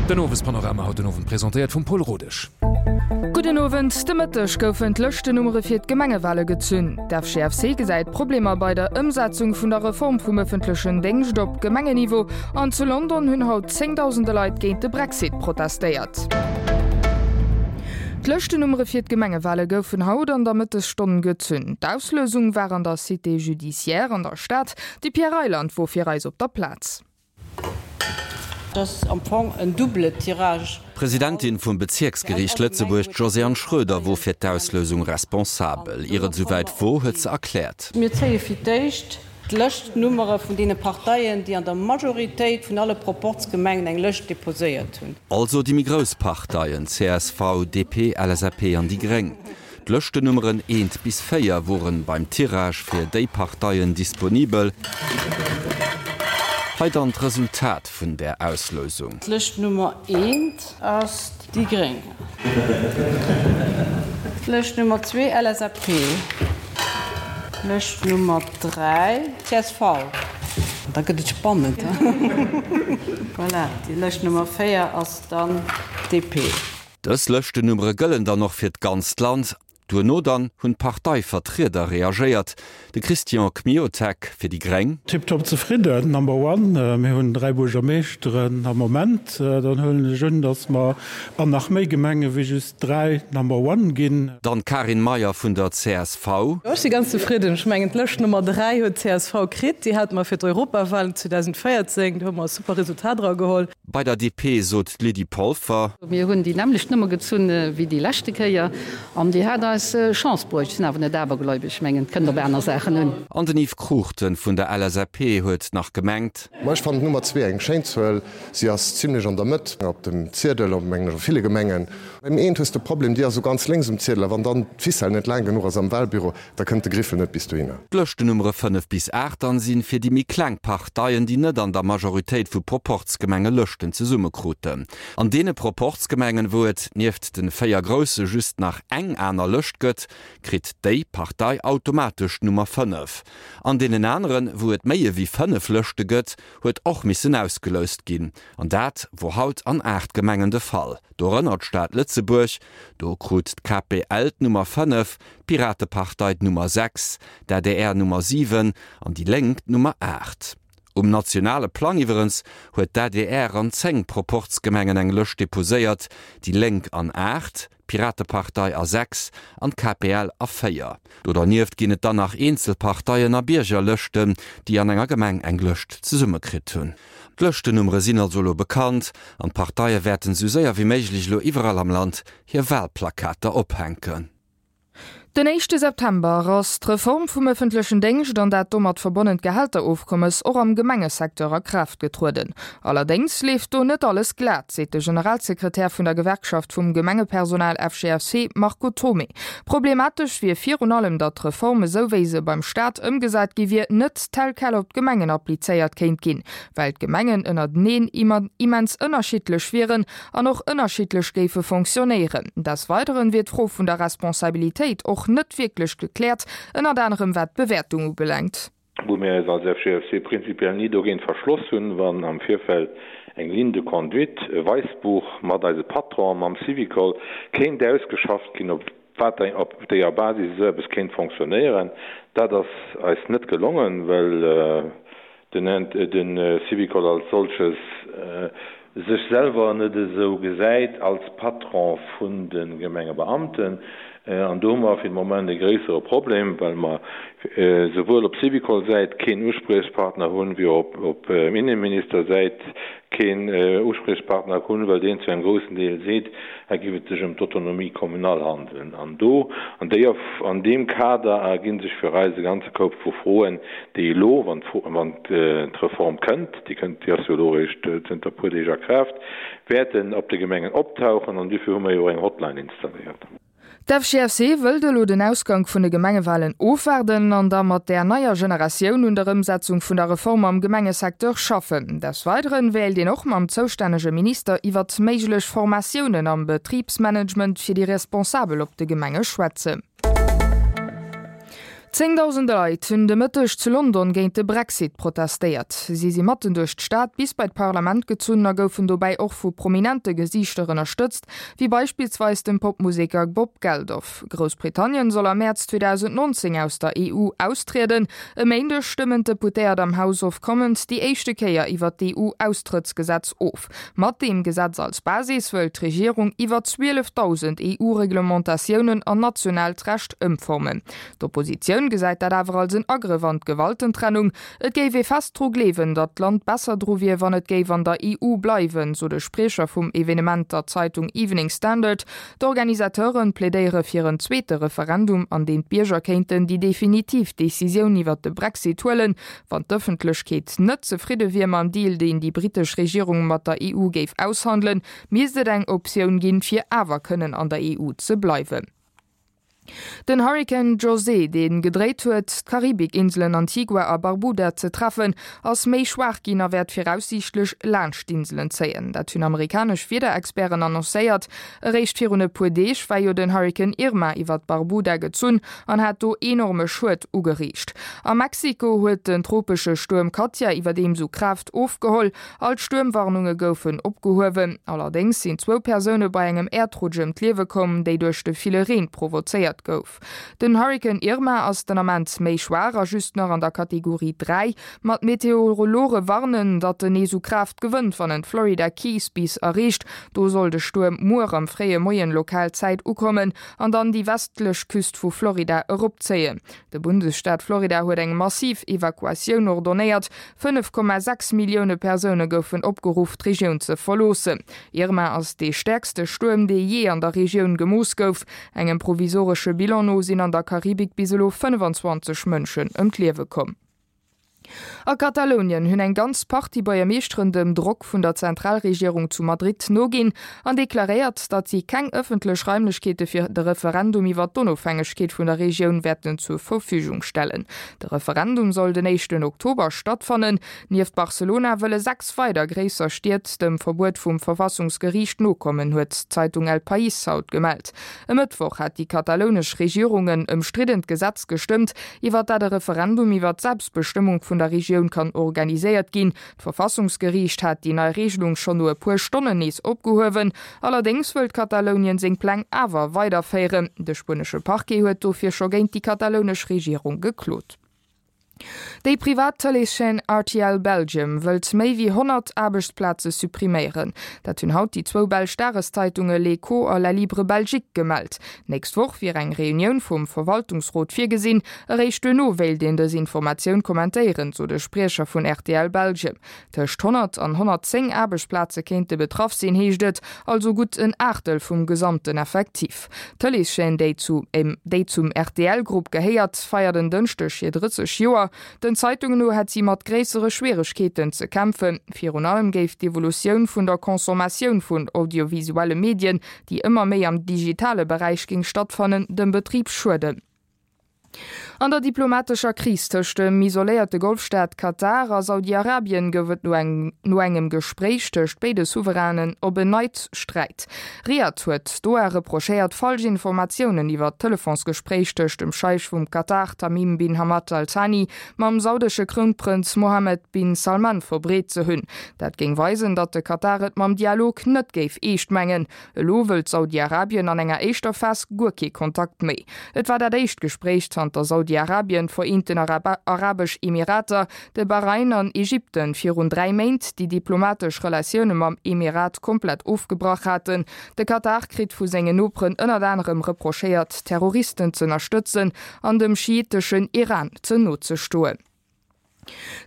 Den Owespanorama haut den Owend presentéiert vum Pol Rodesch. Gudden Owend. De Mëtteg goufen d'Lëschtennummere fir d'Gemengewale gezunn. D'FGFC gesäit Problemer bei der Ëmsetzung vun der Reform vum ëffentlechen Déngscht op Gemengenniveau. An zu London hunn haut zéngdausende Leit géint de Brexit protestéiert. D'Lëschtennummere fir d'Gemengewale goufen haut an der Mëttesstonn gezunn. D'Auslousung war an der Cité judiciaire an der Stad. De Pierre Reyland wor fir eis op der Plaz. Et ass am Fong en double Tirage. D'Presidentin vum Bezierksgeriicht Lëtzebuerg, d'Josiane Schroeder, wor fir d'Auslousung responsabel. Ier et esouwäit wor, huet se erkläert. Mir zéie fir d'éischt d'Lëschtnummere vun deene Parteien, déi an der Majoritéit vun alle Proporzgemengen eng Lëscht deposéiert hunn. Also déi méi grouss Parteien, csv, DP, LSAP an déi gréng. D'Lëschtennummeren eent bis 4 woren beim Tirage fir déi Parteien disponibel. Hei dann d'Resultat vun där Auslousung. D'Lëscht Nummer eent ass déi gréng. D'Lëscht Nummer zwee LSAP. D'Lëscht Nummer 3 csv. Da gëtt et spannend. Voilà, déi Lëscht Nummer 4 ass dann DP. Dës Lëschtennummere gëllen dann och fir d'ganzt Land. Duerno dann hunn d'Parteivertrieder reagéiert. De Christian Kmiotek fir déi Gréng. Tiptop zefridden, number one. Mir hunn 3 Buergermeeschteren am Moment. Dann huelen ech un, datt mer an nach méi Gemenge wéi just 3 Number one ginn. Dann d'Karin Meyer vun der csv. Ech si ganz zefridden. Ech mengen, d'Lëscht Nummer 3 huet d'CSV kritt. Déi hate mer fir d'Europawahlen 2014. Do hu mer e super Resultat erageholl. Bei der DP sot d'Lydie Polfer. Mir hunn déi nämmlecht Nummer gezunn wéi déi leschte Kéier an déi hat eis Chance bruecht. Ech sinn awer net abergläubeg, ech mengen, et kënnt op aner Saachen un. An den Yves Cruchten vun der LSAP huet nach gemengt. Ma ech fannen d'Nummer zwee eng schéin Zuel. Si ass zimlech an der Mëtt op dem Ziedel, op mengen ech a ville Gemengen. Beim eent hues de Problem, déi ass esou ganz lénks um Ziedel a wann dann d'Ficelle net laang genuch ass am Wahlbüro, Da kënnt de Griffel net bis dohinner. D'Lëschtennummere 5 bis 8 dann sinn fir déi méi kleng Parteien, déi net an der Majoritéit vu Proporzgemenge Lëschten zesummekruten. An deene Proporzgemengen, wou et nieft den 4 grousse just nach eng aner Lëscht gëtt, kritt déi Partei automatesch d'Nummer 5. An deenen aneren, wou et méi ewéi 5 Lëschte gëtt, huet och missen ausgeloust ginn. An dat wor haut an 8 Gemengen de Fall, dorënner d'Stad Lëtzebuerg, do krut d'KPL d'Nummer 5, d'Piratepartei d'Nummer 6, d'ADR Nummer 7 an déi Lénk d'Nummer 8. Um nationale Plang iwwerens huet d'ADR an 10 Proporzgemengen eng Lëscht deposéiert, déi Lénk an 8, d'Piratepartei a 6 an d'KPL a 4. Do dernieft ginn et dann nach eenzel Parteien a Biergerlëschten, déi an enger Gemeng eng Lëscht zesummekritt hunn. D'Lëschtennummere sinn also elo bekannt an d'Parteie wäerten esou séier wéi méiglech elo iwwerall am Land hir Walplakater ophänken. Den éischte September ass d'Reform vum ëffentlechen Déngscht an dat domat verbonnent Gehälterofkommes och am Gemengesecteur a Kraaft getrueden. Allerdéngs leeft do net alles glat, seet de Generalsekretär vun der Gewerkschaft vum Gemengepersonal FGFC Marco Thomé. Problematesch wier virun allem, datt d'Reform esou wéi se beim Staat ëmgesat gi wier, net tel quel op d'Gemengen applizéiert kéint ginn, well d'Gemengen ënnerteneen immens ënnerschiddlech wieren an och ënnerschiddlech géife fonctionnéieren. Des Weideren wier d'Fro vun der Responsabilitéit och net wierklech gekläert, ënnert anerem wat d'Bewäertung ubelaangt. Wou mir eis als FGFC prinzipiell ni dogéint verschloss hunn, wann am Virfeld eng Ligne de conduite, e Weissbuch mat eise Patron, mam Syvicol, kéint ausgeschafft ginn, op wat op déier Basis esou eppes kéint fonctionnéieren. Dat ass eis net gelongen, well den Syvicol als solches sech selwer net esou gesäit als Patron vun de Gemengebeamten. An do hu mer fir de Moment e gréissere Problem, well mer souwuel op Syvicol-Säit keen Uspriechpartner hunn, wéi och op Innenminister-Säit keen Uspriechpartner hunn, well deen zu engem groussen Deel seet, hei géif et sech ëm d'Autonomie communale handelen. An do, an déier, an deem Kader erginn sech fir eis e ganze Koup vu Froen, déi elo, wann d'Reform kënnt, déi kënnt, déi ass jo elo eréischt zënter e puer Deeg a Kraaft, wäerten op de Gemengen optauchen. An duerfir hu mer jo och eng Hotline installéiert. D'FGFC wëllt elo den Ausgank vun de Gemengewalen ofwaarden an da mat där neier Generatioun un der Ëmsetzung vun der Reform am Gemengesecteur schaffen. Des Weideren wéilt een och mam zoustännege Minister iwwert méiglech Formatiounen am Betribsmanagement fir déi Responsabel op de Gemenge schwätzen. Zéngdausende Leit hunn de Mëtteg zu London géint de Brexit protestéiert. Si si matten duerch d'Stad bis bei d'Parlament gezunn a goufen dobäi och vu prominente Gesiichter ënnerstëtzt, wéi beispillsweis dem Popmuseker Bob Geldof. Groussbritannien soll am Mäerz 2019 aus der EU austrieden. E Méindeg stëmmen d'Deputéiert am House of Commons déi éischte Kéier iwwer d'EU-Austrëttsgesetz of. Mat deem Gesetz als Basis wëll d'Regierung iwwer 12.000 EU-Reglementatiounen an nationaalt Recht ëmformen. D'Oppositioun gesäit dat awer als en Agrëff an d'Gewaltentrennung. Et géif ee fest dru gleewen, datt d'Land besser dru wier, wann et géif an der EU bleiwen, sot e Spriecher vum Evenement der Zeitung Evening Standard. D'Organisateure plädéiere fir en zweete Referendum, an deem d'Bierger kéinten déi definitiv Decisioun iwwer de Brexit huelen. Wann d'Ëffentlechkeet net zefridde wier mam Deal, deen déi brittesch Regierung mat der EU géif aushandelen, misst et eng Optioun ginn, fir awer kënnen an der EU ze bleiwen. Den Hurrikan José, dee gedréit huet, d'Karibikinselen Antigua a Barbuda ze treffen, ass méi schwaach ginn a wäert viraussiichtlech laanscht d'Inselen zéien. Dat hunn amerikanesch Wiederexperten annoncéiert. Eréischt virun e puer Deeg war jo den Hurrikan Irma iwwert Barbuda gezunn an hat do enorme Schued ugeriicht. A Mexiko huet den tropesche Stuerm Katia iwwerdeems u Kraaft ofgeholl. All d'Stuermwarnunge goufen opgehuewen. Allerdéngs sinn zwou Persoune bei engem Äerdrutsch ëm d'Liewe komm, déi duerch de ville Reen provozéiert gouf. Den Hurrikan Irma ass den Ament méi schwaach a just nach an der Kategorie 3, ma d'Meteorologe warnen, datt en nees u Kraaft gewënnt, wann en d'Florida Keys bis erreecht. Do soll de Stuerm muer am fréie Moien lokal Zäit ukommen an dann déi westlech Küst vu Florida eropzéien. De Bundesstaat Florida huet eng massiv Evakuatioun ordonnéiert. 5,6 Millioune Persoune goufen opgeruff, d'Regioun ze verloossen. Irma ass dee stäerkste Stuerm, dee jee an der Regioun gemooss gouf. Engem provisoresche Bilan no sinn an der Karibik bis elo 25 Mënschen ëm d'Liewe komm. A Katalounien hunn eng ganz Partie Buergermeeschteren dem Drock vun der Zentralregierung zu Madrid noginn an deklaréiert, datt si keng ëffentlech Raimlechkeete fir de Referendum iwwer d'Onofhängegkeet vun der Regioun wäerten zur Verfügung stellen. De Referendum soll den éischten Oktober stattfannen. Nieft Barcelona wëlle 6 weider gréisser Stied dem Verbuet vum Verfassungsgeriicht nokommen, huet d'Zeitung El País haut gemellt. E Mëttwoch hat déi katalounesch Regierung en ëmstriddent Gesetz gestëmmt, iwwer dat e Referendum iwwer d'Selbstbestëmmung vun der Regioun kann organiséiert ginn. D'Verfassungsgeriicht hat déi nei Regelung schonn no e puer Stonnen nees opgehuewen. Allerdéngs wëllt Katalounien seng Pläng awer weiderféieren. De spuenesche Parquet huet dofir scho géint déi katalounesch Regierung geklot. Déi privat Tëleeschaîne rtl Belgium wëllt méi wéi 100 Aarbechtsplaze suppriméieren. Dat hunn haut déi zwou belsch Dageszeitunge L'Echo a La Libre Belgique gemellt. D'nächst Woch wier eng Reunioun vum Verwaltungsrot virgesinn. Eréischt duerno wéilt een dës Informatioun kommentéieren, sot e Spriecher vun rtl Belgium. Tëscht 100 an 110 Aarbechtsplaze kéinte betraff sinn, heescht et, also gutt en Aachtel vum gesamten Effectif. D'Tëleeschaîne, déi zu déi zum RTL-Grupp gehéiert, feiert en Dënschdeg hir 30 Joer. Den Zeitungen no hätt si mat gréissere Schwieregkeeten ze kämpfen. Virun allem géif d'Evolutioun vun der Consommatioun vun audiovisuelle Medien, déi ëmmer méi am digitale Beräich géing stattfannen, dem Betrib schueden. An der diplomatescher Kris tëscht dem isoléierte Golfstaat Katar a Saudi-Arabien gouf et no no engem Gespréich tëscht béide Souverainen op en Neits Sträit. Riad huet Doha reprochéiert, falsch Informatiounen iwwer d'Telefonsgespréich tëscht dem Scheich vum Katar Tamim bin Hamad Al Thani mam saudesche Krounprënz Mohammed bin Salman verbreet ze hunn. Dat géing weisen, datt de Katar et mam Dialog net géif eescht mengen. Elo wëllt Saudi-Arabien an enger éischter Phas guer kee Kontakt méi. Et war dat éischt Gespréich zanter Saudi-Arabien, d'Vereenten Arabesch Emirater, de Bahrain an Ägypten virun 3 Méint déi diplomatesch Relatioune mam Emirat komplett ofgebrach haten. De Katar kritt vu sengen Noperen ënnert anerem reprochéiert, Terroristen z'ënnerstëtzen an dem schiiteschen Iran ze no ze stoen.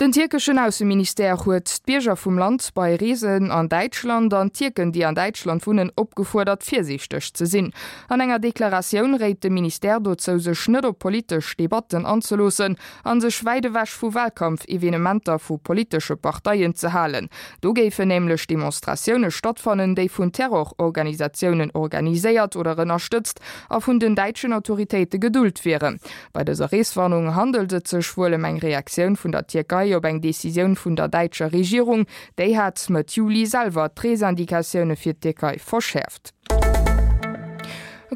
Den tierkeschen Ausseministère huet d'Bierger vum Land bei Reesen an Däitschland an d'Tierken, déi an Däitschland wunnen, opgefuerdert, virsiichteg ze sinn. An enger Deklaratioun réit de Ministère dozou, sech net op politesch Debatten anzeloossen a sech wäit ewech vu Walkampfevenementer vu politesche Parteien ze halen. Do géifen nämlech Demonstratioune stattfannen, déi vun Terrororganisatiounen organiséiert oder ënnerstëtzt a vun den däitschen Autoritéite gedult wieren. Bei dëser Reeswarnung handelt et sech wuel ëm eng Reaktioun vun der Tierkei op eng Decisioun vun der däitscher Regierung. Déi hat Mëtt Juli selwer d'Reesindikatioune fir d'Tierkei verschäerft.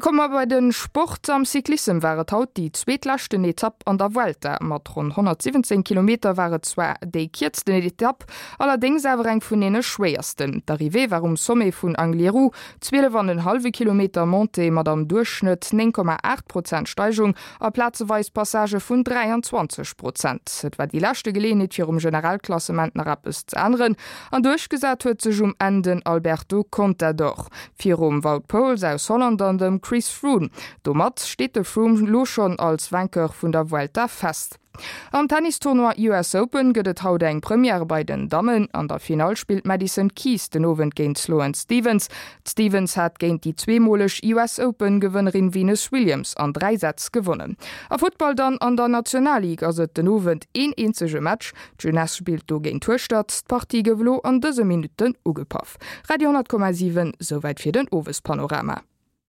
Komme mer bei de Sport. Am Cyclissem war et haut déi zweetleschten Etapp an der Vuelta. Mat ronn 117 Kilometer war et zwar déi kierzten Etapp, allerdéngs awer eng vun deene schwéiersten. D'Arrivée war um Sommet vun Angliru, 12 an en hallwe Kilometer Montée mat am Duerchschnëtt 9,8 Prozent Steigung a plazeweis Passagë vun 23 Prozent. Et war déi leschte Geleeënheet fir um Generalklassement nach eppes ze änneren an duerchgesat huet sech um Enn den Alberto Contador. Virum Wout Poels aus Holland an dem Chris Froome. Domat steet de Froome lo schonn als Vainqueur vun der Vuelta fest. Am Tennistournoi US Open gëtt et haut eng Première bei den Dammen. An der Finall spillt d'Madison Keys den Owend géint d'Sloane Stephens. D'Stephens hat géint déi zweemoleg US Open Gewënnerin Venus Williams an 3 Sätz gewonnen. A Futtball dann, An der Nationalligue ass et den Owend een eenzege Match. D'Jeunesse spillt do géint Hueschtert. D'Partie gouf elo an dëse Minutten ugepaff. Radio 10,7, souwäit fir den Owespanorama.